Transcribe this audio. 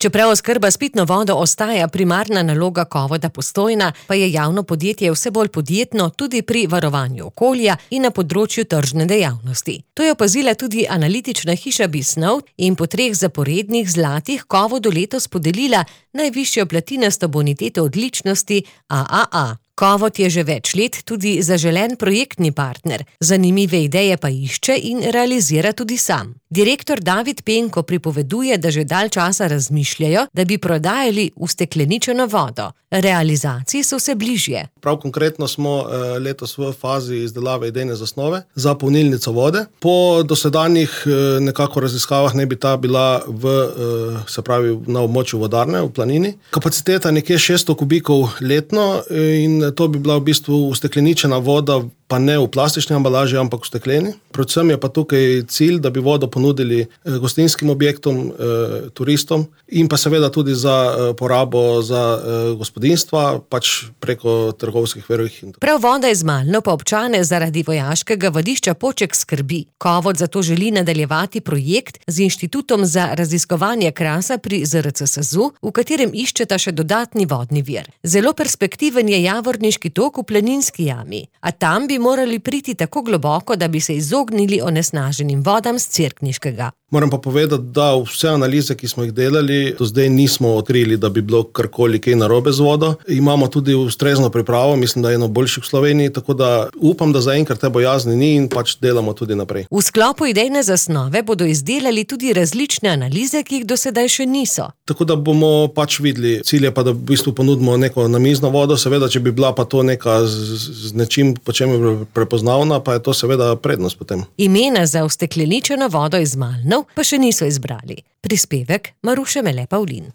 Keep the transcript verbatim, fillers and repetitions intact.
Čeprav oskrba s pitno vodo ostaja primarna naloga Kovoda Postojna, pa je javno podjetje vse bolj podjetno tudi pri varovanju okolja in na področju tržne dejavnosti. To je opazila tudi analitična hiša Bisnow in po treh zaporednih zlatih Kovodu letos podelila najvišjo platinasto boniteto odličnosti A A A. Kovod je že več let tudi zaželen projektni partner, zanimive ideje pa išče in realizira tudi sam. Direktor David Penko pripoveduje, da že dalj časa razmišljajo, da bi prodajali ustekleničeno vodo. Realizaciji so vse bližje. Prav konkretno smo letos v fazi izdelave idejne zasnove za polnilnico vode. Po dosedanjih nekako raziskavah ne bi ta bila v, se pravi, na območju vodarne v Planini. Kapaciteta nekje šeststo kubikov letno in to bi bila v bistvu ustekleničena voda, pa ne v plastični embalaži, ampak v stekleni. Predvsem je pa tukaj cilj, da bi vodo ponudili gostinskim objektom, turistom in pa seveda tudi za porabo za gospodinjstva, pač preko trgovskih verov. Prav voda iz Malno pa občane zaradi vojaškega vadišča Poček skrbi. Kovod zato želi nadaljevati projekt z Inštitutom za raziskovanje krasa pri Z R C S Z U, v katerem iščeta še dodatni vodni vir. Zelo perspektiven je Javorniški tok v Planinski jami, a tam bi morali priti tako globoko, da bi se izognili onesnaženim vodam z Cerkniškega. Moram pa povedati, da vse analize, ki smo jih delali, do zdaj nismo odkrili, da bi bilo karkoli kaj narobe z vodo. Imamo tudi ustrezno pripravo, mislim, da je eno boljših v Sloveniji, tako da upam, da zaenkrat te bojazni ni in pač delamo tudi naprej. V sklopu idejne zasnove bodo izdelali tudi različne analize, ki jih do sedaj še niso. Tako da bomo pač videli. Cilj je pa, da v bistvu ponudimo neko namizno vodo, seveda, če bi bila pa to neka z, z nečim, po čem je prepoznavna, pa je to seveda prednost potem. Imena za ustekleničeno vodo iz Malnov pa še niso izbrali. Prispevek Maruše Mele Pavlin.